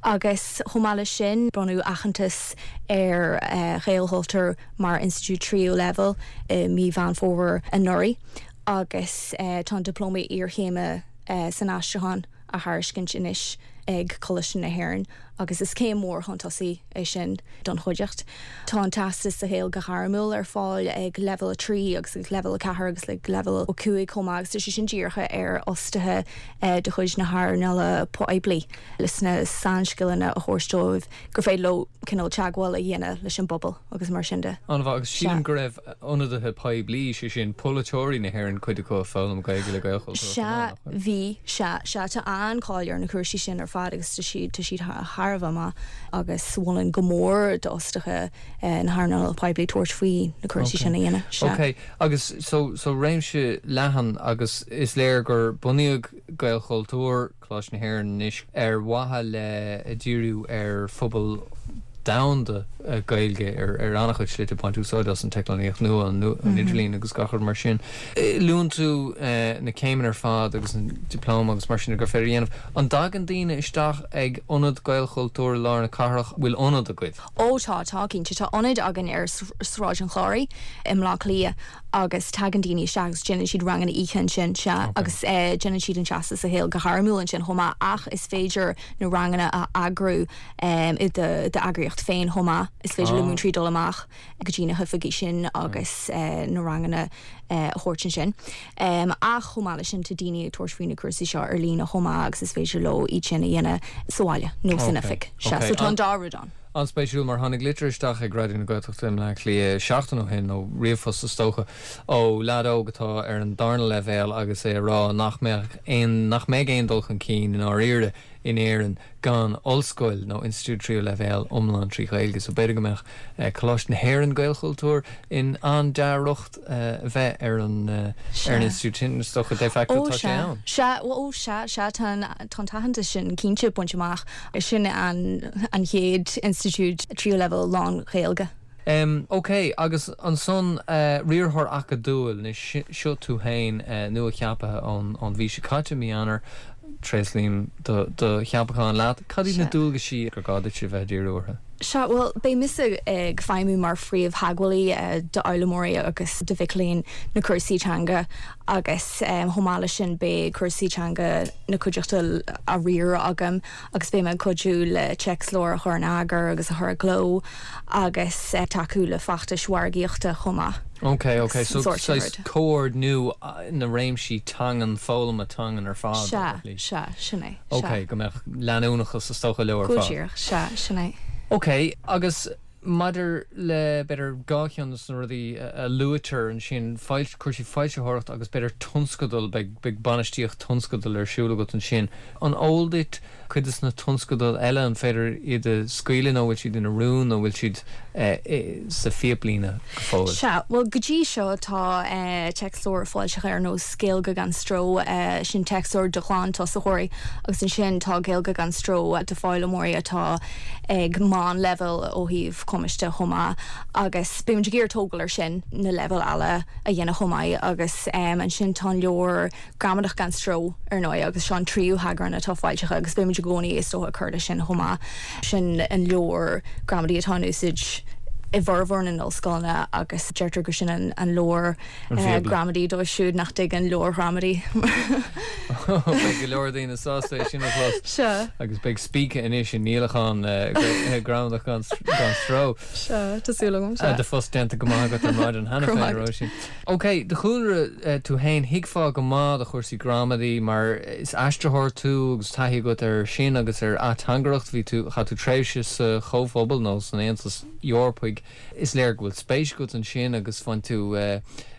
Agus chomh maith leis sin bronnadh aitheantas ar Ghaelchultúr mar institiúid tríú leibhéal i mí Mheán Fómhair anuraidh agus tá an Dioplóma Iarchéime san Aistriúchán á thairiscint anois ag Coláiste na hÉireann agus is céim mhór chun tosaigh é sin don chuideachta. Tá an Teastas sa Ghaeilge Ghairmiúil ar fáil ag Leibhéal 3 agus ag Leibhéal 4 agus ag Leibhéal 5 chomh maith agus tá sé sin dírithe ar fhostaithe de chuid na hearnála poiblí leis na sainscileanna a thabhairt dóibh gur féidir leo cineál teagmháil a dhéanamh leis an bpobal agus mar sin de. An-mhaith, agus sílim go raibh ionadaithe poiblí, sé sin polaiteoirí na hÉireann, cuid acu ag foghlaim Gaeilge le Gaelchultúr chomh maith, nach bhfuil? Sea, bhí, sea, sea, tá an-cháil ar na cúrsaí sin ar fad agus tá siad, tá siad thar a bheith maith agus mholfainn go mór d'fhostaithe na hearnála poiblí tabhairt faoi na cúrsaí sin a dhéanamh, sea. Ok, agus so, so réimse leathan agus is léir gur bunaíodh Gaelchultúr, Coláiste na hÉireann anois ar mhaithe le díriú ar phobal domhanda Gaeilge ar an-chuid slite, ag baint úsáid as an teicneolaíocht nua, an idirlíon agus gach rud mar sin. Luann tú na céimeanna ar fad agus an dioplóma agus mar sin gur féidir a dhéanamh. An dtagann daoine isteach ag ionad Gaelchultúir i lár na cathrach? Bhfuil ionad agaibh? Ó tá, tá cinnte. Tá ionad againn ar Sráid an Chláraigh i mBleá Cliath agus tagann daoine isteach agus déanann siad ranganna oíche ansin, sea, agus déanann siad an Teastas sa Ghaeilge Ghairmiúil ansin chomh maith ach is féidir na ranganna a eagrú i d'eagraíocht féin chomh maith. Is féidir le múinteoirí dul amach go dtí na hoifigí sin agus na ranganna a thabhairt ansin. Ach chomh maith leis sin tá daoine ag tabhairt faoi na cúrsaí seo ar líne chomh maith agus is féidir leo iad sin a dhéanamh sa bhaile nó san oifig. Sea, so tá an dá rud ann. An-spéisiúil mar tháinig litir isteach ag Raidió na Gaeltachta i mBleá Cliath seachtain ó shin, nó ríomhphost is dócha, ó leaid óg atá ar an darna leibhéal agus é ag rá nach mbeadh aon, nach mbeidh aon dul chun cinn i ndáiríre in Éirinn gan ollscoil nó institiúid tríú leibhéal iomlán trí Ghaeilge so b'fhéidir go mbeadh Coláiste na hÉireann Gaelchultúr in an-dea-riocht a bheith ar an ar an institiúid sin, is dócha de facto tá sé ann. Sea, ó sea, sea, tá an tá an t-aitheantas sin cinnte bainte amach. Sin an an chéad institiúid tríú leibhéal lán-Ghaeilge. Ok, agus ansan riarthóir acadúil, anois seo tú féin nua-cheaptha ón mhí seo caite, mí Eanáir, tréaslaím do cheapachán leat. Cad iad na dualgaisí gur gá duit a bheith ag díriú orthu? Sea, bhuel, beidh mise ag feidhmiú mar phríomhtheagmhálaí d'fhoghlaimeoirí agus do mhic léinn na cúrsaí teanga agus chomh maith leis sin beidh cúrsaí teanga na cuideachta á riaradh agam agus beidh mé ag cuidiú le téacsleabhair a chur in eagar agus a chur i gcló agus tacú le feachtais mhargaíochta chomh maith. Ok, ok, so saghas comhordnú na réimsí teangan, foghlama teangan ar fad. Sea, sea, sin é, sea. Ok, go mbeadh leanúnachas is dócha leo ar fad. Go díreach, sea, sin é. Ok, agus maidir le, b'fhéidir, dhá cheann de na rudaí a luaitear ansin, cúrsaí foilsitheoireachta agus b'fhéidir tionscadail, beidh bainistíocht tionscadal ar siúl agat ansin. An eol duit cuid de na tionscadail eile, an féidir iad a scaoileadh nó bhfuil siad ina rún nó bhfuil siad sa phíoplíne go fóill? Sea, bhuel go dtí seo tá téacsleabhair foilsithe ar nós Gaeilge gan Stró, sin téacsleabhar do ghlantosaitheoirí, agus ansin tá Gaeilge gan Stró do foghlaimeoirí atá ag meánleibhéal ó thaobh cumais de chomh maith agus beimid ag iarraidh tógáil ar sin, na leibhéil eile a dhéanamh chomh maith agus ansin tá an leabhar Gramadach gan Stró ar ndóigh agus seo an tríú heagrán atá foilsithe agus beimid i gcónaí is dócha ag cur leis sin chomh maith. Sin an leabhar gramadaí atá in úsáid i bhformhór na n-ollscoileanna agus deirtear gur sin an leabhar gramadaí dóibh siúd nach dtuigeann leabhair ghramadaí. Beidh go leor daoine sásta é sin a chlos. Sea. Agus beidh spíce anois i ndíolachán Gramadach gan Stró. Sea, tá súil agam, sea. Do phost déanta go maith agat ar maidin cheana féin, a Róisín. Ok, do chúlra tú féin, thuigfeá go maith do chúrsaí gramadaí mar is aistritheoir tú agus taithí agat ar sin agus ar ateangaireacht. Bhí tú, chaith tú tréimhse sa Chomhphobal nó san Aontas Eorpaigh. Is léir go bhfuil spéis agat ansin agus bhain tú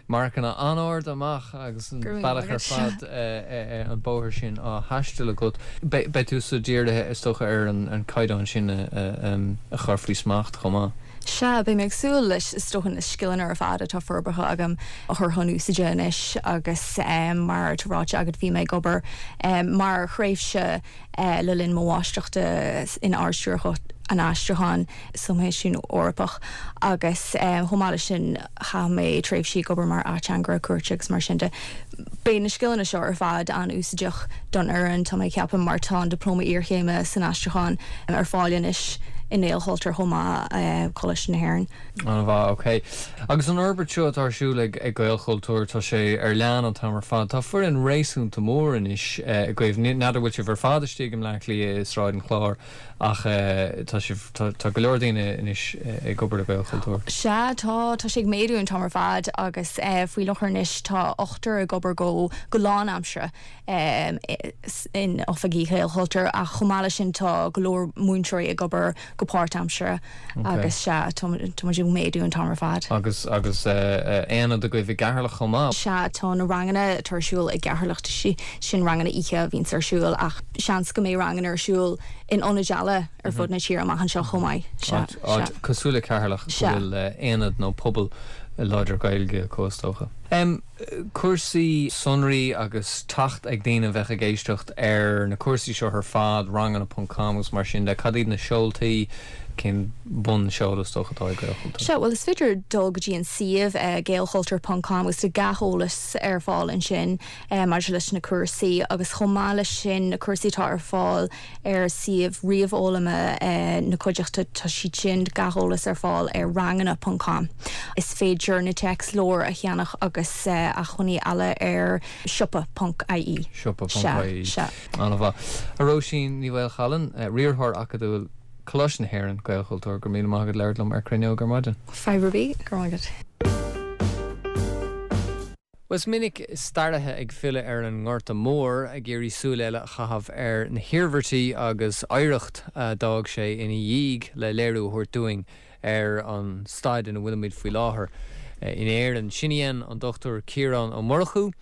marcanna an-arda amach agus an bealach ar fad an bóthar sin á thaisteal agat. Beidh tusa dírithe is dócha ar an caighdeán sin a chur faoi smacht chomh maith. Sea, beidh mé ag súil leis, is dócha, na scileanna ar fad atá forbartha agam a chur chun úsáide anois agus mar atá ráite agat bhí mé ag obair mar thréimhse le linn mo mháistreachta in Ard-Stiúrthóireacht an Aistriúcháin sa Choimisiún Eorpach agus chomh maith leis sin chaith mé tréimhsí ag obair mar ateangaire cúirte agus mar sin de. Beidh na scileanna seo ar fad an-úsáideach don fhoireann, tá mé ag ceapadh, mar tá an Dioplóma Iarchéime san Aistriúchán ar fáil anois i nGaelchultúr chomh maith, Coláiste na hÉireann. An-mhaith, ok. Agus an fhorbairt seo atá ar siúl ag Gaelchultúr, tá sé ar lean an t-am ar fad. Tá foireann réasúnta mór anois agaibh. N'fheadar bhfuil sibh ar fad istigh i mBleá Cliath i Sráid an Chláir ach tá sibh, tá go leor daoine anois ag obair le Gaelchultúr. Sea, tá, tá sé ag méadú an t-am ar fad agus faoi láthair anois tá ochtar ag obair go go lánaimseartha. in oifigí Ghaelchultúir ach chomh maith leis sin tá go leor múinteoirí ag obair go páirtaimseartha agus sea, tá muid ag méadú an t-am ar fad. Agus agus aonad agaibh i gCeatharlach chomh maith? Sea, tá na ranganna atá ar siúl i gCeatharlach, sin ranganna oíche a bhíonns ar siúl ach seans go mbeidh ranganna ar siúl in ionaid eile ar fud na tíre amach anseo chomh maith. Sea, sea. Áit cosúil le Ceatharlach go bhfuil aonad nó pobal láidir Gaeilge acu is dócha. Cúrsaí sonraí agus teacht ag daoine a bheadh ag éisteacht ar na cúrsaí seo ar fad, ranganna ponc com agus mar sin de, cad iad na seoltaí, cén bunseoladh is dócha atá ag Gaelchultúr? Sea, bhuel is féidir dul go dtí an suíomh, gaelchultúr ponc com agus tá gach eolas ar fáil ansin maidir leis na cúrsaí agus chomh maith leis sin na cúrsaí atá ar fáil ar suíomh ríomhfhoghlama na cuideachta, tá siad sin, gach eolas ar fáil ar ranganna ponc com. Is féidir na téacsleabhair a cheannach agus acmhainní eile ar siopa ponc ie. Siopa ponc ie. Sea, sea. An-mhaith. A Róisín Ní Mhaolchallann, Riarthóir Acadúil, Coláiste na hÉireann, Gaelchultúr, go raibh míle maith agat labhairt liom ar Cruinneog ar maidin. Fadhb ar bith, go raibh maith agat. Bhuel, is minic staraithe ag filleadh ar an nGorta Mór, ag iarraidh súil eile a chaitheamh ar na hiarmhairtí agus oidhreacht a d'fhág sé ina dhiaidh le léiriú a thabhairt dúinn ar an staid ina bhfuilimid faoi láthair in Éirinn. Sin a dhein an Dr Ciarán Ó Murchú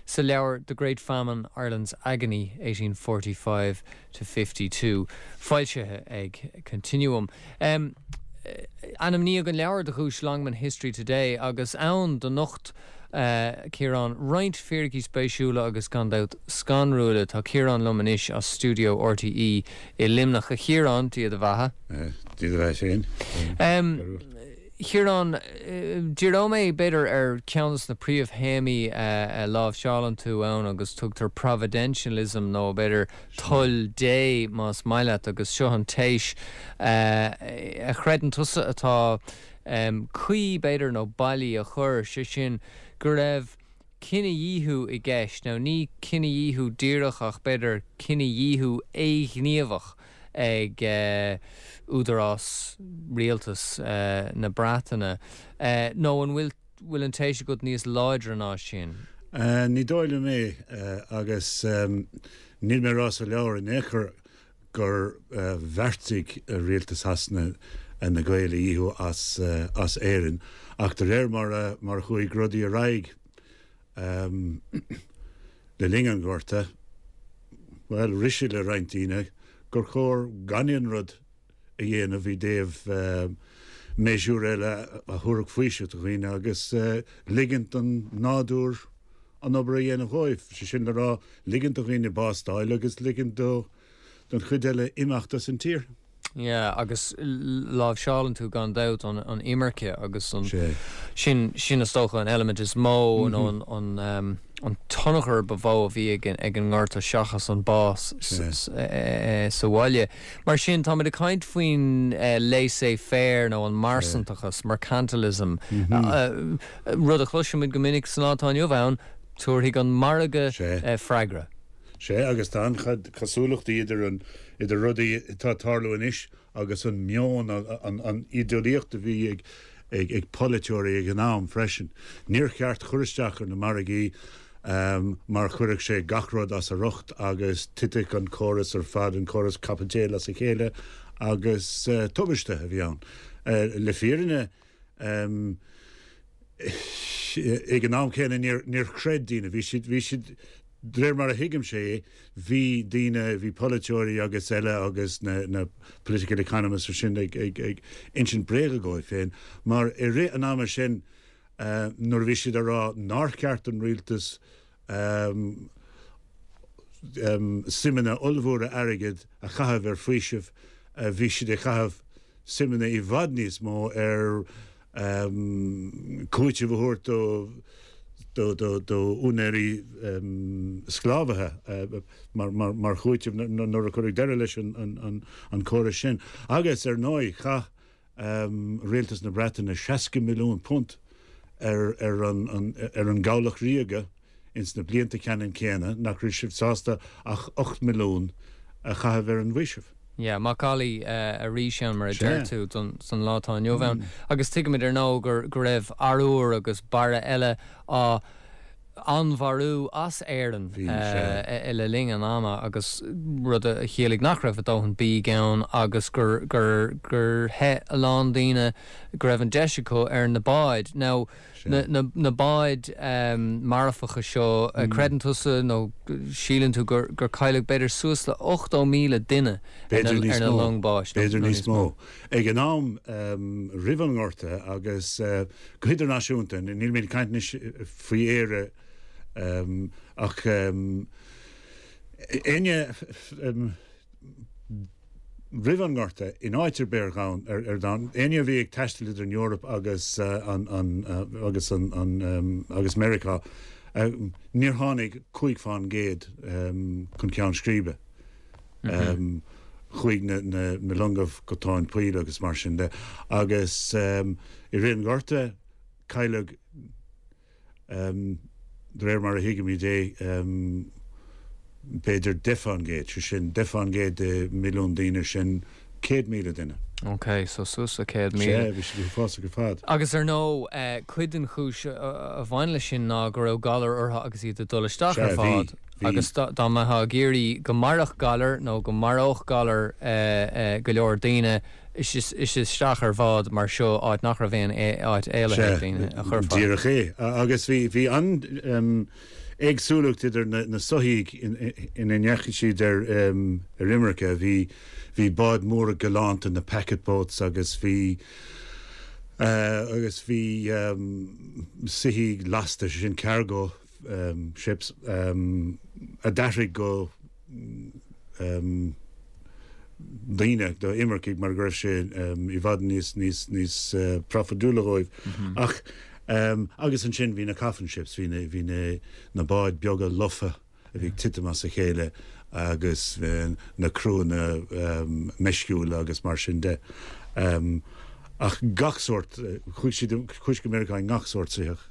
sa leabhar The Great Famine, Ireland's Agony, 1845 to 52, foilsithe ag Continuum. Ainmníodh an leabhar do dhuais Longman History Today agus ann do nocht Ciarán roinnt fíricí spéisiúla agus gan dabht scanrúla. Tá Ciarán liom anois as stiúideo RTÉ i Luimneach. A Chiaráin, Dia do bheatha. Dia do bheatha féin. Chiaráin, díreoidh mé, b'fhéidir, ar cheann de na príomhthéamaí a láimhseálann tú ann agus tugtar providentialism nó b'fhéidir toil Dé más maith leat agus seo an téis a chreideann tusa atá cuí, b'fhéidir, nó bailí a chur, sé sin go raibh cinedhíothú i gceist, nó ní cinedhíothú díreach ach b'fhéidir cinedhíothú éighníomhach ag údarás, rialtas na Breataine. Nó an bhfuil bhfuil an téis agat níos láidre ná sin? Ní dóigh liom é agus níl mé ag rá sa leabhar in aon chor gur bheartaigh rialtas Shasana na Gaeil a dhíothú as Éirinn ach de réir mar a chuaigh rudaí ar aghaidh le linn an Ghorta, bhuel, rith sé le roinnt daoine gur chóir gan aon rud a dhéanamh i dtaobh méasúr eile a thabharfadh faoiseamh do dhaoine agus ligint don nádúr an obair a dhéanamh dhóibh, sé sin le rá, ligint do dhaoine bás d'fháil agus ligint don chuid eile imeacht as an tír. Yeah, agus láimhseálann tú gan dabht an imirce agus an, sin, sin is dócha an eilimint is mó nó an, an, an tionchar ba mhó a bhí ag ag an ngorta seachas an bás sa bhaile. Mar sin, táimid ag caint faoin laissez-faire nó an marsantachas, mercantilism, rud a chloisimid go minic san lá atá inniu ann, tabharfaidh an margadh freagra. Sea, agus tá an-chuid cosúlachtaí idir an, idir rudaí atá ag tarlú anois agus an meon, an, an ídeolaíocht a bhí ag, ag, ag polaiteoirí ag an am freisin. Níor cheart cur isteach ar na margaí mar chuirfeadh sé gach rud as a riocht agus titfeadh an córas ar fad, an córas caipiteal as a chéile agus tubaiste a bhí ann. Le fírinne, Ag an am céanna níor chreid daoine, bhí siad, bhí siad, de réir mar a thuigimse é, bhí daoine, bhí polaiteoirí agus eile agus na, na political economists ar sin ag, ag, ag insint bréaga dhóibh féin mar i rith an ama sin nuair a bhí siad ag rá nár cheart don rialtas suimeanna ollmhóra airgid a chaitheamh ar faoiseamh, bhí siad ag caitheamh suimeanna i bhfad níos mó ar chúiteamh a thabhairt do úinéirí sclábhaithe mar chúiteamh nuair a cuireadh deireadh leis an córas sin. Agus, ar ndóigh, chaith Rialtas na Breataine £60 milliún ar ar an gCabhlach Ríoga ins na blianta ceannann céanna nach raibh siad sásta ach 8 milliún a chaitheamh ar an bhfaoiseamh. Yeah, macallaí arís ann mar a deir tú don san lá atá inniu ann. Agus tuigimid ar ndóigh gur go raibh arbhar agus barra eile á onnmhairiú as Éirinn le linn an ama agus rud a chiallaigh nach raibh a dóthain bídh ann agus gur gur gur theith a lán daoine go raibh an deis acu ar na báid. Now na na na báid marfacha seo, creideann tusa nó síleann tú gur gur cailleadh b'fhéidir suas le 80,000 duine ar na ar na long báis nó B'fhéidir níos mó. Ag an am roimh an nGorta agus go hidirnáisiúnta, níl mé ag caint anois faoi Éire ach éinne roimh an nGorta in áit ar bith ar domhan, éinne a bhí ag taisteal idir an Eoraip agus an agus an agus Meiriceá, níor tháinig 5 fán gcéad chun ceann scríbe. Chuaigh na longa go tóin poill agus mar sin de. Agus i rith an Ghorta, cailleadh, de réir mar a thuigimid é, b'fhéidir 10 fán gcéad, sé sin, 10 fán gcéad de mhilliún daoine, sin 100,000 duine. Ok, so suas le 100,000. Sea, bhí siad uafásach ar fad. Agus ar ndóigh, cuid den chúis a bhain leis sin ná go raibh galar orthu agus iad ag dul isteach ar bhád. Bhí. Agus dá mbeifeá ag iarraidh go mairfeadh galar nó go maródh galar go leor daoine, is isteach ar bhád mar seo, áit nach raibh aon áit éalaithe ag daoine, a chuirfeá. Díreach é. Agus bhí an-éagsúlacht idir na soithí ina ndeachaigh siad ar imirce. Bhí báid mhóra galánta, na packet boats, agus bhí agus bhí soithí lasta, sé sin cargo ships, a d'athraigh go. daoine, do imircigh mar go raibh sé i bhfad níos, níos, níos profaidiúla dhóibh. Ach, agus ansin bhí na coffin ships, bhí na, bhí na, na báid beaga lofa a bhí ag titim as a chéile agus na criúnna meisciúla agus mar sin de. Ach gach sórt, chuaigh siad, chuaigh siad go Meiriceá i ngach sórt soitheach.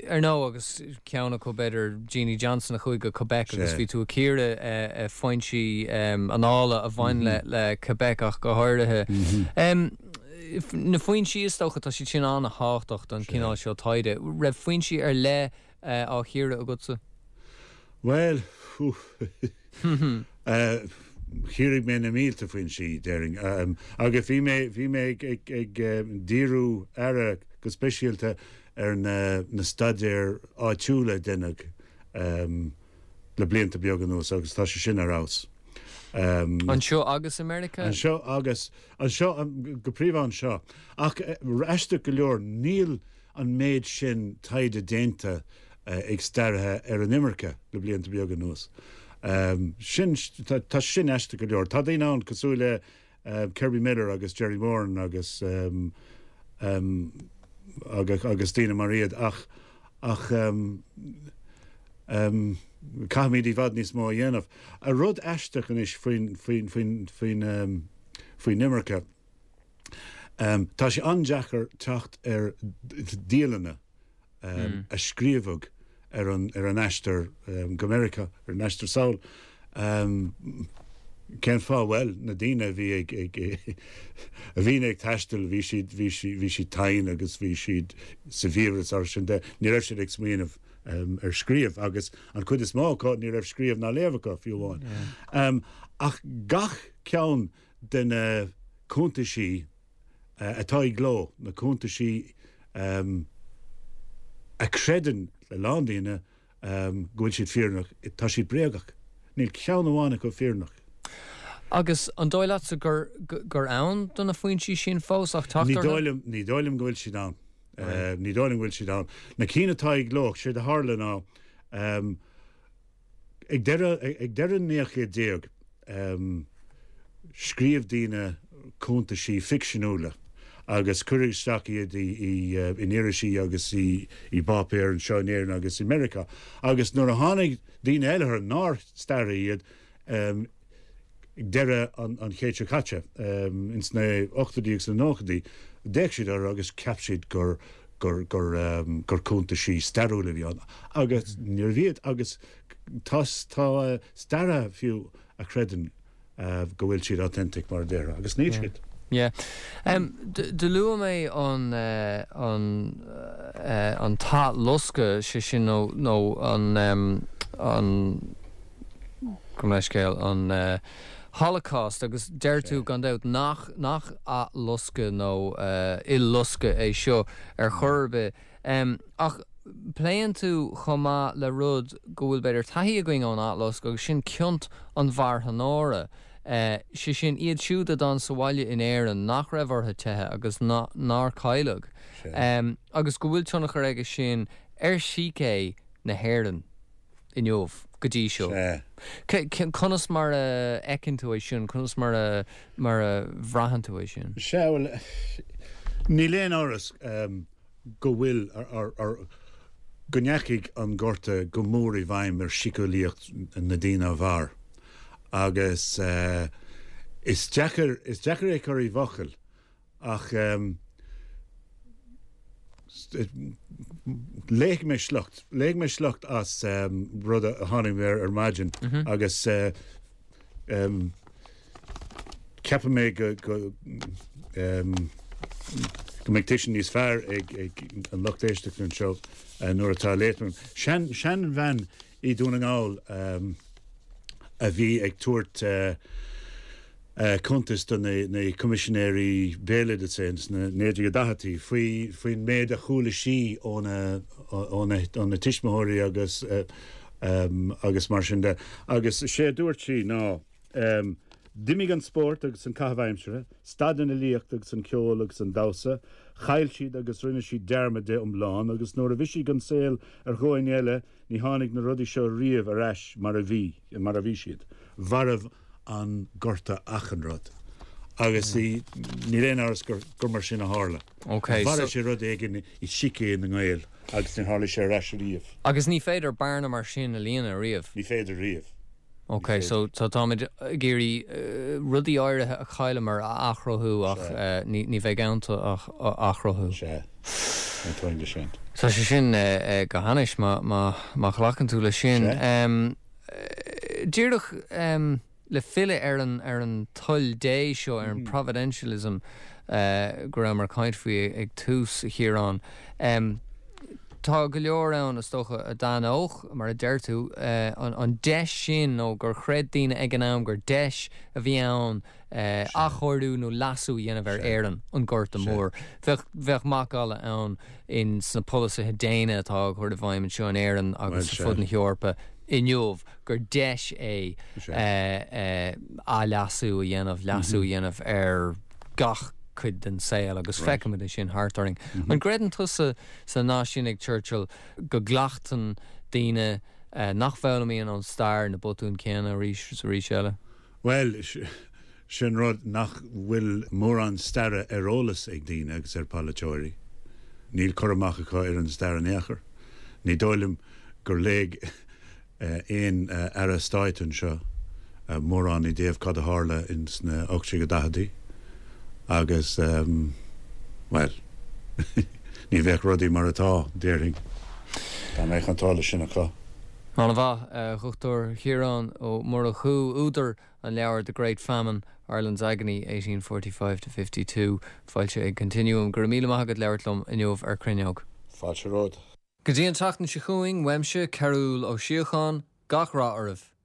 Ar ndóigh, agus ceann acu b'fhéidir, Jeannie Johnson a chuaigh go Quebec agus bhí tú ag cíoradh foinsí annála a bhain le Quebec ach go háirithe. Na foinsí is dócha, tá siad sin an-thábhachtach don chineál seo taighde. Raibh foinsí ar leith á chíoradh agatsa? Bhuel, Chíoraigh mé na mílte foinsí, déarfainn. Agus bhí mé, bhí mé ag díriú aire go speisialta ar na staidéir áitiúla a deineadh le blianta beaga anuas agus tá sé sin ar fheabhas. Anseo agus i Meiriceá? Anseo agus, anseo, go príomha anseo. Ach aisteach go leor, níl an méid sin taighde déanta ag staraithe ar an imirce le blianta beaga anuas. Sin, tá sin aisteach go leor. Tá daoine ann cosúil le Kerby Miller agus Jerry Moran agus agus daoine mar iad ach ach caithfimid i bhfad níos mó a dhéanamh. Rud aisteach anois faoin faoin faoin faoin faoin imirce, Tá sé an-deacair teacht ar dialanna a scríobhadh ar an ar an aistear go Meiriceá, ar an aistear sall. Cén fáth? Bhuel, na daoine a bhí ag ag a bhí ag taisteal, bhí siad bhí siad bhí siad tinn agus bhí siad sa bhfiabhras mar sin de, ní raibh siad ag smaoineamh ar scríobh agus an chuid is mó acu ní raibh scríobh ná léamh acu fiú amháin. Ach gach ceann de na cuntaisí atá i gcló, na cuntaisí a chreideann a lán daoine go bhfuil siad fírinneach, tá siad bréagach. Níl ceann amháin acu fírinneach. Agus an dóigh leatsa gur gur ann do na foinsí sin fós ach teacht Ní dóigh liom, ní dóigh liom go bhfuil siad ann. Ní dóigh liom go bhfuil siad ann. Na cinn atá i gcló, séard a tharla ná, Ag deireadh ag deireadh an naoú céad déag, scríobh daoine cuntaisí ficseanúla agus cuireadh isteach iad in irisí agus i bpáipéir anseo in Éirinn agus i Meiriceá. Agus nuair a tháinig daoine eile orthu, nár staraithe iad, Ag deireadh an chéid seo caite, ins na ochtóidí agus na nóchaidí, d'fhéach siad orthu agus cheap siad gur gur gur gur cuntaisí stairiúla a bhí ann. Agus níorbh iad. Agus tá tá staraithe fiú a chreideann go bhfuil siad authentic mar a déarfá, agus níl siad. Yeah. Do luaigh mé an an an t-athloscadh, sé sin nó nó an an gabh mo leithscéal, an Holocaust agus deir tú gan dabht nach nach athloscadh nó il-loscadh é seo ar chor ar bith. Ach pléann tú chomh maith le rud go bhfuil b'fhéidir taithí againn ón athloscadh agus sin ciont an mharthanóra. Sé sin, iad siúd a d'fhan sa bhaile in Éirinn nach raibh orthu teitheadh agus nár cailleadh. Agus go bhfuil tionchar aige sin ar shícé na hÉireann inniu, go dtí seo. Conas mar a fheiceann tú é sin? Conas mar a mar a bhraitheann tú é sin? Sea, bhuel, níl aon amhras go bhfuil, go ndeachaigh an Gorta go mór i bhfeidhm ar shíceolaíocht na ndaoine a mhair agus is deacair, is deacair é a chur i bhfocail ach léifidh mé sliocht, léifidh mé sliocht as rud a tháinig mé air ar maidin agus Ceapann mé go go mbeidh tuiscint níos fearr ag an lucht éisteachta anseo nuair atá á léamh agam. Seanbhean i Dún na nGall a bhí ag tabhairt cuntas do na Coimisinéirí Béaloideasa sna 1940idí faoi faoin méid a chuala sí óna óna tuismitheoirí agus agus mar sin de. Agus sé a dúirt sí ná, D'imigh an spórt agus an caitheamh aimsire, stad an fhilíocht agus an ceol agus an damhsa, chaill siad agus rinne siad dearmad de iomlán agus nuair a bhisigh an saol ar dhóigh eile ní tháinig na rudaí seo riamh ar ais mar a bhí, mar a bhí siad. Mharbh. an Gorta achan rud. Agus níl aon amhras gur mar sin a tharla. Mharaigh sé rud éigin i síce na nGael agus níor tharla sé ar ais ariamh. Agus ní féidir bearna mar sin a líonadh riamh? Ní féidir riamh. Ok, so táimid ag iarraidh rudaí áirithe a chailleamar a athchruthú ach ní bheidh iontu ach athchruthú. Sea, aontaím leis sin. Tá sé sin go hainnis má ghlacann tú leis sin. Díreach le filleadh ar an ar an toil Dé seo, ar an providentialism go rabhamar ag caint faoi ag tús, a Chiaráin. Tá go leor ann, is dócha, a d'aithneodh, mar a deir tú, an deis sin nó gur chreid daoine ag an am gur deis a bhí ann athchóiriú nó leasú a dhéanamh ar Éirinn, an Gorta Mór. Bheadh, bheadh macalla ann in sna polasaithe déine atá á gcur i bhfeidhm anseo in Éirinn agus ar fud na hEorpa inniu gur deis é athleasú a dhéanamh, leasú a dhéanamh ar gach cuid den saol agus feicimid é sin thart orainn. An gcreideann tusa sa nath sin ag Churchill go gcleachtann daoine nach bhfoghlaimíonn ón stair na botúin céanna arís is arís eile? Bhuel, sin rud nach bhfuil mórán staire ar eolas ag daoine agus ar pholaiteoirí. Níl cur amach acu ar an stair in aon chor. Ní dóigh liom gur léigh aon Aire Stáit anseo mórán i dtaobh cad a tharla ins na 1840idí agus, bhuel, ní bheadh rudaí mar atá, déarfainn, dá mbeadh an t-eolas sin acu. An-mhaith, a Dhochtúir Ciarán Ó Murchú, údar an leabhair The Great Famine, Ireland's Agony, 1845-52, foilsithe ag Continuum. Go raibh míle maith agat labhairt liom inniu ar Cruinneog. Fáilte romhat. Go dtí an tseachtain seo chugainn, uaimse, Cearbhall Ó Síocháin, gach rath oraibh.